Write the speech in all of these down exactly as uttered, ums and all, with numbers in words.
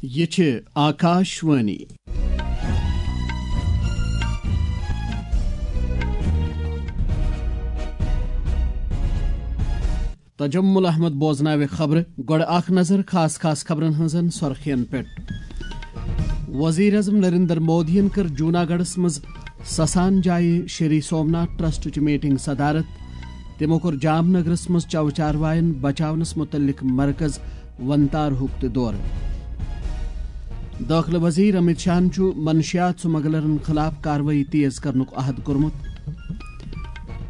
یہِ چھِ آکاشوانی۔ تجمل احمد بوزناوِ خبرٕ۔ گۄڈٕ اکھ نظر خاص خاص خبرن ہٕنٛزن سۄرخین پٮ۪ٹھ۔ وزیر اعظم نریندر مودیَن کٔر جوناگڑھس منٛز سسان جایہِ شری سومناتھ ٹرسٹٕچ میٹنگ صدارت۔ تِمو کوٚر جام نگرس منٛز چو چاروایَن بچاونس متعلق مرکز ونتارہُک تہِ دورٕ۔ دٲخلہٕ وزیر امت شاہن چھُ منشیات سمگلرن خلاف کاروٲیی تیز کرنُک عہد کوٚرمُت۔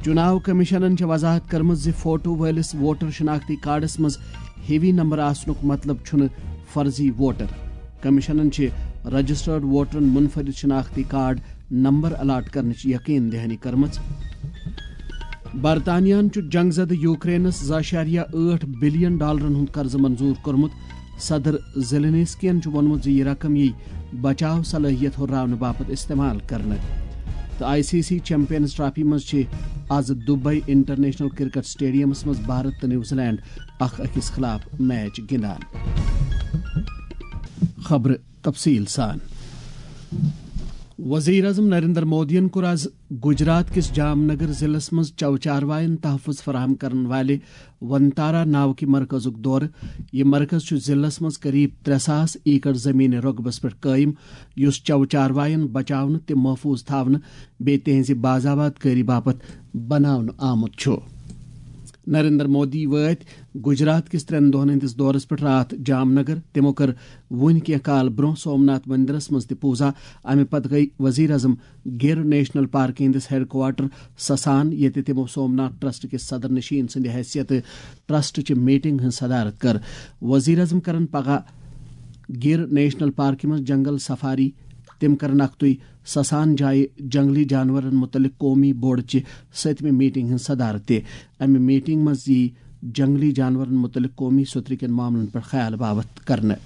چُناو کمیشنن چھےٚ وضاحت کٔرمٕژ زِ فوٹو وٲلِس ووٹر شناختی کارڈس منٛز ہیوی نمبر آسنُک مطلب چھُنہٕ فرضی ووٹر۔ کمیشنن چھِ رجسٹرڈ ووٹرن منفرد شناختی کارڈ نمبر الاٹ کرنٕچ یقین دہانی کٔرمٕژ۔ برطانیہن چھُ جنگ زدٕ یوکرینس زٕ اعشاریہ ٲٹھ بلین ڈالرن ہُنٛد قرضہٕ منظور کوٚرمُت۔ صدر زیلنسکین چھُ ووٚنمُت زِ یہِ رقم یِیہِ بچاو صلٲحیت ہُراونہٕ باپتھ استعمال کرنہٕ۔ تہٕ I C C champions trophy منٛز چھِ آز دبئی انٹرنیشنل کرکٹ اسٹیڈیمس منٛز بھارت تہٕ نیوزی لینڈ اکھ أکِس خلاف میچ گِنٛدان۔ خبرٕ تفصیل سان۔ وزیر اعظم نریندر مودیَن کوٚر آز گجرات کِس جام نگر ضلعس منٛز چو چاروایَن تحفظ فراہم کرن والہِ ونتارا ناوکہِ مرکزُک دورٕ۔ یہِ مرکز چھُ ضلعس منٛز قریب ترٛےٚ ساس ایکڑ زمین رۄقبس پٮ۪ٹھ قٲیِم، یُس چو چاروایَن بچاونہٕ تہٕ محفوظ تھاونہٕ بیٚیہِ تِہنٛزِ باضابط کٲری باپتھ بناونہٕ آمُت چھُ۔ نریندر مودی وٲتۍ گجرات کِس ترٛٮ۪ن دۄہَن ہٕنٛدِس دورس پٮ۪ٹھ راتھ جام نگر۔ تِمو کٔر وُنہِ کینٛہہ کال برٛونٛہہ سومناتھ مندرس منٛز تہِ پوٗزا۔ اَمہِ پتہٕ گٔیہِ وزیر اعظم گِر نیشنل پارکہِ ہٕنٛدِس ہیڈ کوارٹر سسان، ییٚتہِ تِمو سومناتھ ٹرسٹ کِس صدر نشین سٕنٛدِ حیثیتہٕ ٹرسٹ چہِ میٹنگ ہٕنٛز صدارت کٔر۔ وزیر اعظم کرن پگاہ گِر نیشنل پارکہِ منٛز جنگل سفاری۔ تِم کرن اکھتُے سسان جایہِ جنگلی جانورن متعلق قومی بورڈ چہِ سٔتمہِ میٹنگ ہٕنٛز صدارت تہِ۔ امہِ میٹنگ منٛز یی جنگلی جانورن متعلق قومی سترٕ کٮ۪ن معاملن پٮ۪ٹھ خیال باوتھ کرنہٕ۔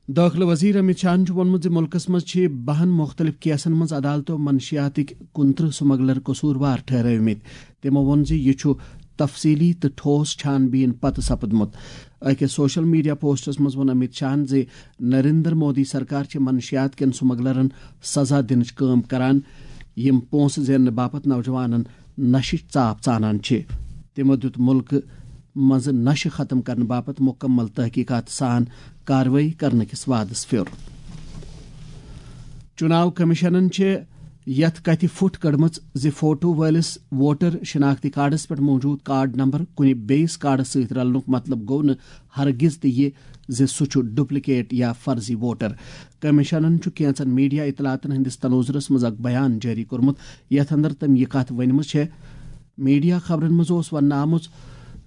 دٲخلہٕ وزیر امت شاہن چھُ ووٚنمُت زِ مُلکس منٛز چھِ بَہَن مُختٔلِف کیسن منٛز عدالتو منشیاتٕکۍ کُنترٕہ سمگلر قصوٗروار ٹھہرٲومٕتۍ۔ تِمو ووٚن زِ یہِ چھُ تفصیلی تہٕ ٹھوس چھان بیٖن پتہٕ سپدمُت۔ أکِس سوشل میڈیا پوسٹس منٛز ووٚن امت شاہن زِ نریندر مودی سرکار چھِ منشیات کٮ۪ن سمگلرن سزا دِنٕچ کٲم کران، یِم پونٛسہٕ زیننہٕ باپتھ نوجوانن نشٕچ ژاپ ژانان چھِ۔ تِمو دیُت مُلکہٕ منٛزٕ نشہٕ ختم کرنہٕ باپتھ مُکمل تحقیقات سان کاروٲیی کرنہٕ کِس وعدس پھیوٚر۔ چُناو کمیشنن چھِ یتھ کتھِ پھُٹ کٔڑمٕژ زِ فوٹو وٲلِس ووٹر شناختی کارڈس پٮ۪ٹھ موجود کارڈ نمبر کُنہِ بیٚیِس کارڈس سۭتۍ رلنُک مطلب گوٚو نہٕ ہرگز تہِ یہِ زِ سُہ چھُ ڈُپلیکیٹ یا فرضی ووٹر۔ کمیشنن چھُ کینٛژن میڈیا اطلاعاتن ہٕنٛدِس تناظرس منٛز اکھ بیان جٲری کوٚرمُت، یتھ اندر تٔمۍ یہِ کتھ ؤنمٕژ چھےٚ۔ میڈیا خبرن منٛز اوس وننہٕ آمُت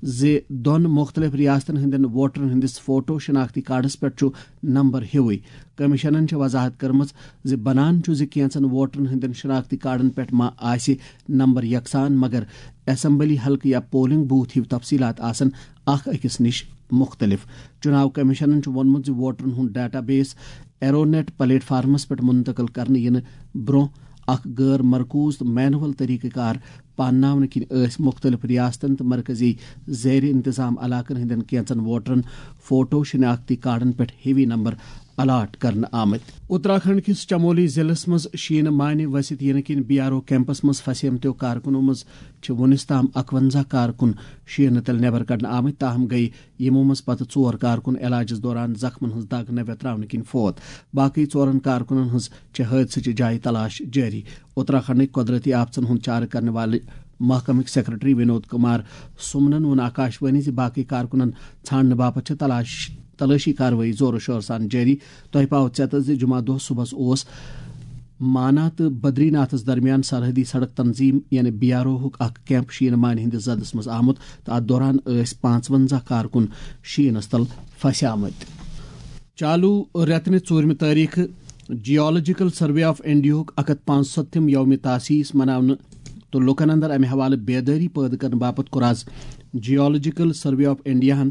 زِ دۄن مُختٔلِف ریاستن ہٕنٛدٮ۪ن ووٹرن ہٕنٛدِس فوٹو شناختی کارڈس پٮ۪ٹھ چھُ نمبر ہیوُے۔ کمیشنن چھےٚ وضاحت کٔرمٕژ زِ بنان چھُ زِ کینٛژن ووٹرن ہٕنٛدٮ۪ن شناختی کارڈن پٮ۪ٹھ ما آسہِ نمبر یکسان، مگر اسمبلی حلقہٕ یا پولنگ بوتھ ہیوۍ تفصیلات آسن اکھ أکِس نِش مُختٔلِف۔ چُناو کمیشنن چھُ ووٚنمُت زِ ووٹرن ہُنٛد ڈیٹا بیس ایرونیٹ پلیٹ فارمس پٮ۪ٹھ منتقل کرنہٕ یِنہٕ برٛونٛہہ اکھ غٲر مرکوز تہٕ مینول طریقہٕ کار پانناونہٕ کِنۍ ٲسۍ مُختٔلِف ریاستن تہٕ مرکزی زیر انتظام علاقن ہٕنٛدٮ۪ن کینٛژن ووٹرن فوٹو شناختی کارڈن پٮ۪ٹھ ہیوی نمبر الاٹ کرنہٕ آمٕتۍ۔ اتراکھنڈ کِس چمولی ضلعس منٛز شیٖنہٕ مانہِ ؤسِتھ یِنہٕ کِنۍ بی آر او کیمپس منٛز پھسیمتیو کارکنو منٛز چھِ وُنِس تام اکونزہ کارکُن شیٖنہٕ تلہِ نٮ۪بر کڑنہٕ آمٕتۍ، تاہم گٔیہِ یِمو منٛز پتہٕ ژور کارکُن علاجس دوران زخمن ہٕنٛز دگ نہ ویتراونہٕ کِنۍ فوت۔ باقٕے ژورن کارکنن ہٕنٛز چھِ حٲدثٕچہِ جایہِ تلاش جٲری۔ اتراکھنڈٕکۍ قۄدرتی آفژن ہُنٛد چارٕ کرنہٕ والہِ محکمٕکۍ سیکرٹری ونود کمار سُمنن ووٚن آکاشوانی زِ باقٕے کارکنن ژھانڈنہٕ باپتھ چھِ تلاش، تلٲشی کاروٲیی زورٕ شورٕ سان جٲری۔ تۄہہِ پاوٕ ژیتس زِ جمعہ دۄہ صبحس اوس مانا تہٕ بدری ناتھس درمیان سرحدی سڑک تنظیم یعنی بی آر او ہُک اکھ کیمپ شیٖنہٕ مانہِ ہٕنٛدِس زدس منٛز آمُت تہٕ اتھ دوران ٲسۍ پانٛژونزہ کارکُن شیٖنس تل پھسیمٕتۍ۔ چالو رٮ۪تہٕ نہِ ژوٗرمہِ تٲریخہٕ جیولوجیکل سروے آف انڈیاہُک اکھ ہتھ پانٛژستتھم یومِ تاسیس مناونہٕ تہٕ لوٗکن اندر امہِ حوالہٕ بیدٲری پٲدٕ کرنہٕ باپتھ کوٚر آز جیولوجیکل سروے آف انڈیاہن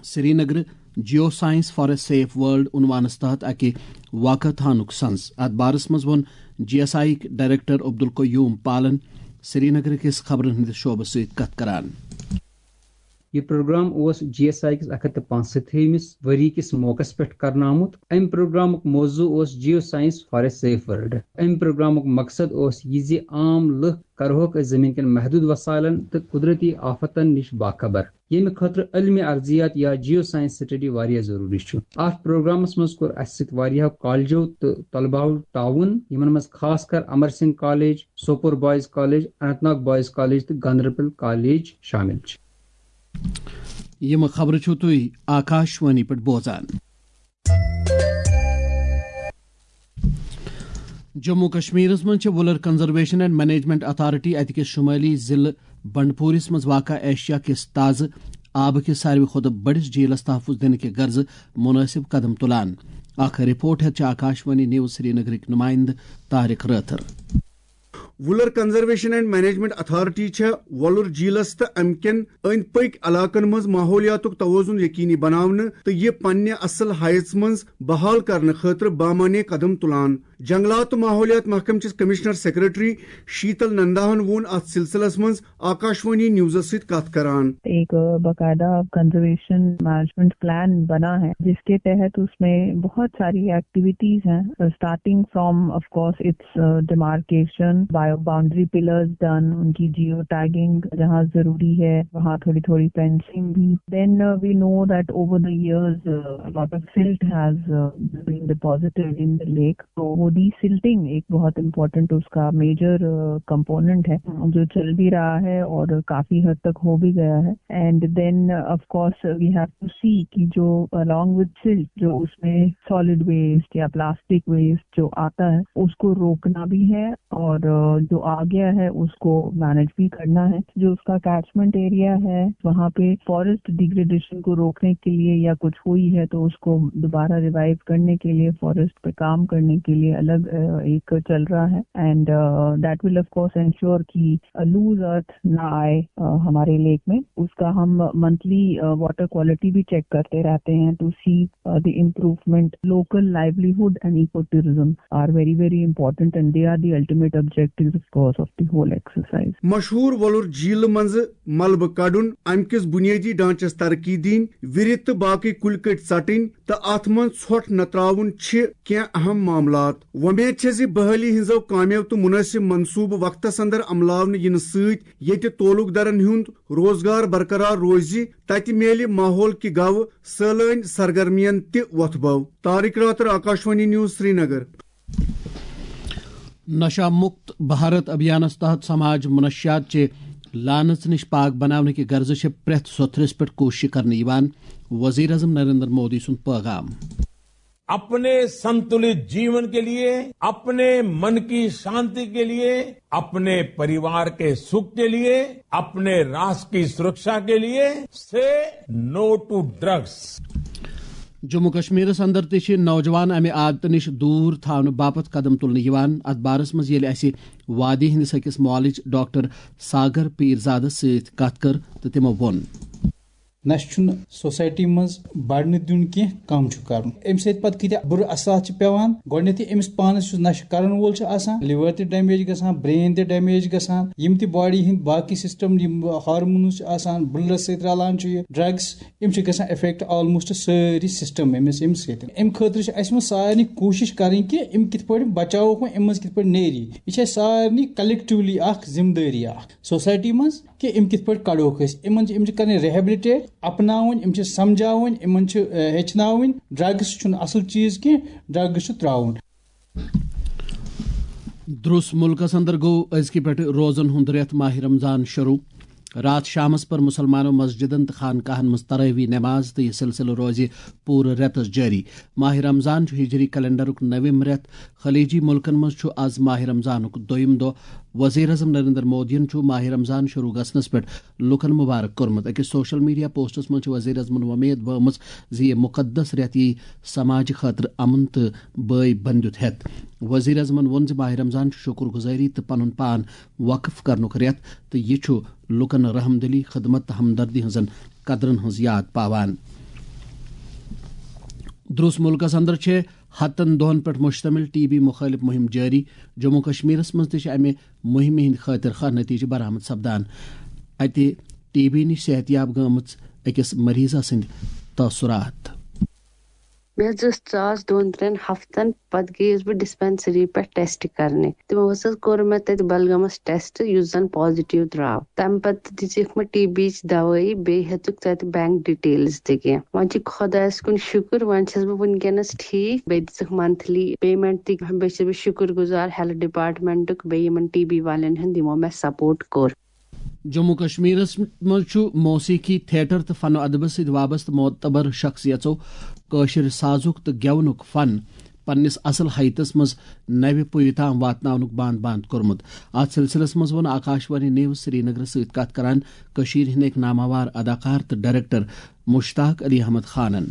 سرینگرٕ geo science for a safe world عنوانس تحت اکہِ واکاتھانُک سنز۔ اتھ بارس منٛز ووٚن جی ایس آئی یٕکۍ ڈائریکٹر عبدالقیوم پالن سرینگر کِس خبرن ہٕنٛدِس شعبس سۭتۍ کتھ کران۔ یہِ پروگرام اوس جی ایس آئی کِس اکھ ہتھ تہٕ پانٛژستتھمِس ؤری کِس موقعس پٮ۪ٹھ کرنہٕ آمُت۔ اَمہِ پروگرامُک موضوع اوس Geoscience for a Safe World۔ اَمہِ پروگرامُک مقصد اوس یہِ زِ عام لُکھ کرہوکھ أسۍ زٔمیٖن کٮ۪ن محدوٗد وسایلن تہٕ قدرتی آفتن نِش باخبر، ییٚمہِ خٲطرٕ علمِ ارضیات یا جیو سائنس سٹڈی واریاہ ضروٗری چھُ۔ اَتھ پروگرامس منٛز کوٚر اَسہِ سۭتۍ واریاہو کالجو تہٕ طلباہو تعاوُن، یِمن منٛز خاص کر Amar Singh college, Sopore boys college, Anantnag boys college تہٕ گاندربل کالج شٲمِل چھِ۔ یِم خبرٕ چھِو تُہۍ آکاشوانی پٮ۪ٹھ بوزان۔ جموں کشمیرس منٛز چھِ Wular conservation and management authority اتہِ کِس شمٲلی ضلعہٕ بنڈپورس منٛز واقع ایشیا کِس تازٕ آبہٕ کِس ساروی کھۄتہٕ بٔڑِس جھیلس تحفظ دِنہٕ کہِ غرضہٕ مُنٲسِب قدم تُلان۔ اکھ رپورٹ ہیتھ چھِ آکاشوانی نیوز سرینگرٕکۍ نمائندٕ Tariq Rather. Wular conservation and management authority چھےٚ وۄلُر جھیلس تہٕ امہِ کٮ۪ن أنٛدۍ پٔکۍ علاقن منٛز ماحولیاتُک توازن یقینی بناونہٕ تہٕ یہِ پننہِ اصل ہایژ منٛز بحال کرنہٕ خٲطرٕ بامعنی قدم تُلان۔ جنگلات تہٕ ماحولیات محکمہٕ چِس کمشنر سیکرٹری شیتل ننداہن ووٚن اتھ سلسلس منٛز آکاشوانی نیوزس سۭتۍ کتھ کران۔ ایک باقاعدہ کنزرویشن مینجمنٹ پلان بنا ہے، جس کے تحت اس میں بہت ساری ایکٹیویٹیز ہیں، starting from, of course, its demarcation, bio boundary pillars done, ان کی جیو ٹیگنگ جہاں ضروری ہے وہاں تھوڑی تھوڑی فینسنگ بھی۔ Then we know that over the years lot of silt has been deposited in the lake. تو وہ ڈی سلٹنگ ایک بہت امپورٹنٹ اس کا میجر کمپوننٹ ہے، جو چل بھی رہا ہے اور کافی حد تک ہو بھی گیا ہے۔ And then of course we have to see کہ جو along with silt جو اس میں سالڈ ویسٹ یا پلاسٹک ویسٹ جو آتا ہے اس کو روکنا بھی ہے، اور جو آ گیا ہے اس کو مینج بھی کرنا ہے۔ جو اس کا کیچمنٹ ایریا ہے وہاں پہ فارسٹ ڈیگریڈیشن کو روکنے کے لیے یا کچھ ہوئی ہے تو اس کو دوبارہ ریوائیو کرنے کے لیے، فارسٹ پہ کام کرنے کے لیے الگ ایک چل رہا ہے۔ And that will of course ensure کہ لوز ارتھ نہ آئے ہمارے لیک میں۔ اس کا ہم منتھلی واٹر کوالٹی بھی چیک کرتے رہتے ہیں to see the improvement. Local livelihood and eco tourism are very very important and they are the ultimate objectives of course of the whole exercise. مشہوٗر وۄلُر جھیلہٕ منٛزٕ ملبہٕ کڑُن، امہِ کِس بُنیٲدی ڈھانچس ترقی دِنۍ، وِرِ تہٕ باقٕے کُلۍ کٔٹۍ ژٹٕنۍ تہٕ اتھ منٛز ژھۄٹھ نہ تراوُن چھِ کینٛہہ اہم معاملات۔ وۄمید چھےٚ زِ بحالی ہٕنٛزو کامیو تہٕ مُنٲسِب منصوٗبہٕ وقتس اندر عملاونہٕ یِنہٕ سۭتۍ ییٚتہِ تعلق دارن ہُنٛد روزگار برقرار روزِ، تتہِ میلہِ ماحول کہِ گوٚو سٲلٲنۍ سرگرمین تہِ وۄتھٕ بو۔ طارق راتھر، آکاشوانی نیوز، سرینگر۔ نشہ مکت بھارت ابھیانس تحت سماج منشیات چہِ لعنت نش پاک بناونہٕ کہِ غرضہٕ چھِ پرٛٮ۪تھ سوٚتھرِس پٮ۪ٹھ کوٗشش کرنہٕ یِوان، وزیر اعظم نریندر مودی سُنٛد پیغام۔ اپنے سنتلت جیون کے لیے، اپنے من کی شانتی کے لیے، اپنے پریوار کے سکھ کے لیے، اپنے راشٹر کی سرکشا کے لیے، سے نو ٹو ڈرگس۔ جموں کشمیرس اندر تہِ چھِ نوجوان امہِ عادتہٕ نِش دوٗر تھاونہٕ باپتھ قدم تُلنہٕ یِوان۔ اتھ بارس منٛز ییٚلہِ اسہِ وادی ہٕنٛدِس أکِس معالج ڈاکٹر ساگر پیرزادس سۭتۍ کتھ کٔر تہٕ تِمو ووٚن۔ نشہٕ چھُنہٕ سوسایٹی منٛز بڑنہٕ دیُن کینٛہہ، کم چھُ کرُن۔ امہِ سۭتۍ پتہٕ کۭتیاہ بُرٕ اثرات چھِ پٮ۪وان۔ گۄڈٕنیتھٕے أمِس پانس یُس نشہٕ کرن وول چھُ آسان، لِور تہِ ڈیمیج گژھان، برین تہِ ڈیمیج گژھان، یِم تہِ باڈی ہٕنٛدۍ باقٕے سسٹم، یِم ہارمونز چھِ آسان، بلڈس سۭتۍ رلان چھُ یہِ ڈرگس، یِم چھِ گژھان افیکٹ آلموسٹ سٲری سسٹم أمِس، أمِس سۭتۍ۔ امہِ خٲطرٕ چھِ اسہِ منٛز سارنٕے کوٗشش کرٕنۍ کہِ یِم کِتھ پٲٹھۍ بچاووکھ وۄنۍ، یِم منٛز کِتھ پٲٹھۍ نیری۔ یہِ چھِ اسہِ سارنٕے کلیکٹولی اکھ ذمہٕ دٲری اکھ سوسایٹی منٛز کہِ یِم کِتھ پٲٹھۍ کڑوکھ أسۍ۔ یِمن چھِ، یِم چھِ کرٕنۍ ریہیبلٹیٹ، اپناوٕنۍ، یِم چھِ سمجھاوٕنۍ، یِمن چھِ، اہ، ہیٚچھناوٕنۍ۔ ڈرگس چھُنہٕ اصل چیٖز کینٛہہ، ڈرگس چھُ ترٛاوُن۔ درُس مُلکس اندر گوٚو أزکہِ پٮ۪ٹھٕ روزن ہُنٛد رٮ۪تھ ماہِ رمضان شروع۔ راتھ شامس پٔر مُسلمانو مسجدن تہٕ خانقاہن منٛز تراویح نماز تہٕ یہِ سلسلہٕ روزِ پوٗرٕ رٮ۪تس جٲری۔ ماہِ رمضان چھُ ہجری کیلنڈرُک نٔوِم رٮ۪تھ۔ خلیجی مُلکن منٛز چھُ از ماہِ رمضانُک دوٚیُم دۄہ۔ وزیر اعظم نریندر مودیَن چھُ ماہِ رمضان شروع گژھنس پٮ۪ٹھ لوٗکن مبارک کوٚرمُت۔ أکِس سوشل میڈیا پوسٹس منٛز چھِ وزیر اعظمن وۄمید بٲومٕژ زِ یہِ مُقدس رٮ۪تھ یِیہِ سماجہِ خٲطرٕ امن تہٕ بٲے بندیُت ہٮ۪تھ۔ وزیر اعظمن ووٚن زِ ماہِ رمضان چھُ شُکر گُزٲری تہٕ پنُن پان وقف کرنُک رٮ۪تھ تہٕ یہِ چھُ لوٗکن رحم دلی، خدمت تہٕ ہمدردی ہٕنٛزن قدرن ہٕنٛز یاد پاوان۔ درُس مُلکس اندر چھِ ہتن دۄہن پٮ۪ٹھ مشتمل ٹی بی مخٲلف مُہِم جٲری۔ جموں کشمیرس منٛز تہِ چھِ امہِ مُہِمہِ ہٕنٛدۍ خٲطرٕ خاہ نتیجہٕ برآمد سپدان۔ اتہِ ٹی بی نِش صحت یاب گٔمٕژ أکِس مریضہ سٕنٛدۍ تٲثرات۔ مےٚ حظ ٲس ژاس دۄن ترٛٮ۪ن ہفتن، پتہٕ گٔیَس بہٕ ڈسپنسری پٮ۪ٹھ ٹیسٹ کرنہِ۔ تِمو حظ کوٚر مےٚ تتہِ بلگامس ٹیسٹ، یُس زن پازیٹیو درٛاو۔ تمہِ پتہٕ دِژٕکھ مےٚ ٹی بی یِچ دوٲیی، بیٚیہِ ہیٚژٕکھ تتہِ بینک ڈیٹیلز تہِ کینٛہہ۔ وۄنۍ چھِ خۄدایس کُن شُکر، وۄنۍ چھَس بہٕ وٕنکیٚنس ٹھیٖک۔ بیٚیہِ دِژٕکھ منتھلی پیمنٹ تہِ۔ بیٚیہِ چھَس بہٕ شُکر گُزار ہیلتھ ڈپارٹمنٹُک، بیٚیہِ یِمن ٹی بی والٮ۪ن ہُنٛد، یِمو مےٚ سپورٹ کوٚر۔ جموں کشمیرس منٛز چھُ موسیقی، تھیٹر تہٕ فن و ادبس سۭتۍ وابستہٕ معتبر شخصیژو کٲشِر سازُک تہٕ گٮ۪ونُک فن پننِس اصل حیتس منٛز نوِ پُیہِ تام واتناونُک باند باند کوٚرمُت۔ اتھ سلسلس منٛز ووٚن آکاشوانی نیوز سرینگرس سۭتۍ کتھ کران کٔشیٖرِ ہٕنٛدۍ أکۍ ناماوار اداکار تہٕ ڈائریکٹر مشتاق علی احمد خانن۔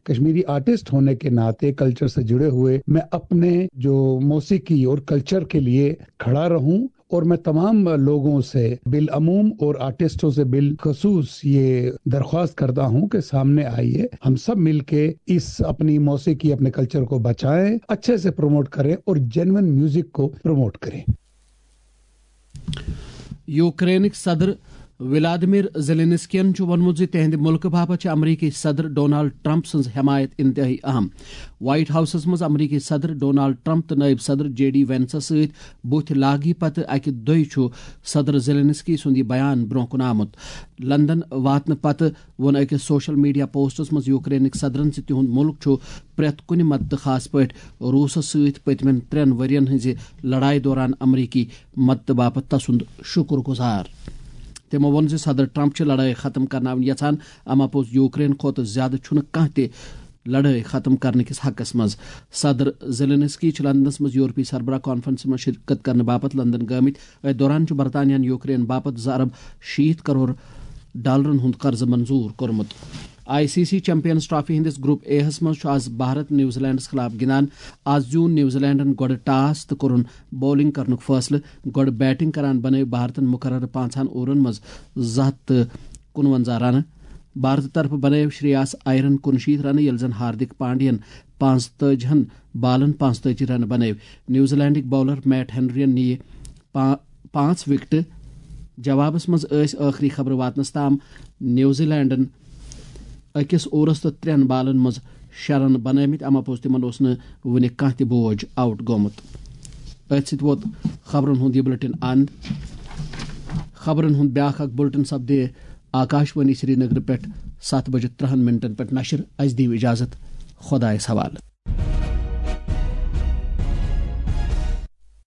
کشمیری آرٹسٹ ہونے کے ناطے کلچر سے جڑے ہوئے میں اپنے جو موسیقی اور کلچر کے لیے کھڑا رہوں اور میں تمام لوگوں سے بالعموم اور آرٹسٹوں سے بالخصوص یہ درخواست کرتا ہوں کہ سامنے آئیے، ہم سب مل کے اس اپنی موسیقی، اپنے کلچر کو بچائیں، اچھے سے پروموٹ کریں اور جینوئن میوزک کو پروموٹ کریں۔ یوکرینٕکۍ صدر ولادیمیر زیلینسکین چھُ ووٚنمُت زِ تِہنٛدِ مُلکہٕ باپتھ چھِ امریکی صدر ڈونالڈ ٹرمپ سٕنٛز حمایت انتہٲئی اہم۔ وائٹ ہاؤسس منٛز امریکی صدر ڈونالڈ ٹرمپ تہٕ نائب صدر جے ڈی وینسس سۭتۍ بُتھ لاگی پتہٕ اکہِ دۄہہِ چھُ صدر زیلینسکی سُنٛد یہِ بیان برونٛہہ کُن آمُت۔ لندن واتنہٕ پتہٕ ووٚن أکِس سوشل میڈیا پوسٹس منٛز یوکرینٕکۍ صدرن زِ تِہُنٛد مُلک چھُ پرٛٮ۪تھ کُنہِ مدتہٕ، خاص پٲٹھۍ روٗسس سۭتۍ پٔتمٮ۪ن ترٛٮ۪ن ؤرین ہٕنٛزِ لڑایہِ دوران امریکی مدتہٕ باپتھ تسُنٛد شُکر گُزار۔ تِمو ووٚن زِ صدر ٹرمپ چھِ لڑٲے ختم کرناوٕنۍ یژھان، اما پوٚز یوکرین کھۄتہٕ زیادٕ چھُنہٕ کانٛہہ تہِ لڑٲے ختم کرنہٕ کِس حقس منٛز۔ صدر زیلینسکی چھِ لندنس منٛز یورپی سربراہ کانفرنسہِ منٛز شرکت کرنہٕ باپتھ لندن گٲمٕتۍ۔ أتھۍ دوران چھُ برطانیہن یوکرین باپتھ زٕ ارب شیٖتھ کرور ڈالرن ہُنٛد قرضہٕ منظوٗر کوٚرمُت۔ I C C champions trophy ہٕنٛدِس گروپ اے ہَس منٛز چھُ آز بھارت نیوزی لینڈس خلاف گِنٛدان۔ آز زیوٗن نیوزی لینڈن گۄڈٕ ٹاس تہٕ کوٚرُن بولنگ کرنُک فٲصلہٕ۔ گۄڈٕ بیٹنگ کران بنٲوۍ بھارتن مقررٕ پانٛژہن اوورن منٛز زٕ ہتھ تہٕ کُنوَنزاہ رنہٕ۔ بھارتہٕ طرفہٕ بنٲوۍ شریاس ایرن کُنشیٖتھ رنہٕ، ییٚلہِ زن ہاردک پانڈین پانٛژتٲجی ہن بالن پانٛژتٲجی رنہٕ بنٲوۍ۔ نیوزی لینڈٕکۍ باولر میٹ ہنرین نِیہِ پا-، پانٛژھ وکٹہٕ۔ جوابس منٛز ٲسۍ ٲخری خبرٕ واتنس تام نیوزی لینڈن أکِس اوورس تہٕ ترٛٮ۪ن بالن منٛز شےٚ رن بنٲومٕتۍ، اما پوٚز تِمن اوس نہٕ وُنہِ کانٛہہ تہِ بوج آؤٹ گوٚمُت۔ أتھۍ سۭتۍ ووت خبرن ہُنٛد یہِ بُلٹن اند۔ خبرن ہُنٛد بیٛاکھ اکھ بُلٹن سپدِ آکاشوانی سرینگر پٮ۪ٹھ ستھ بجہِ ترٛہن منٹن پٮ۪ٹھ نشر۔ اسہِ دِیِو اجازت، خۄدایس حوالہٕ۔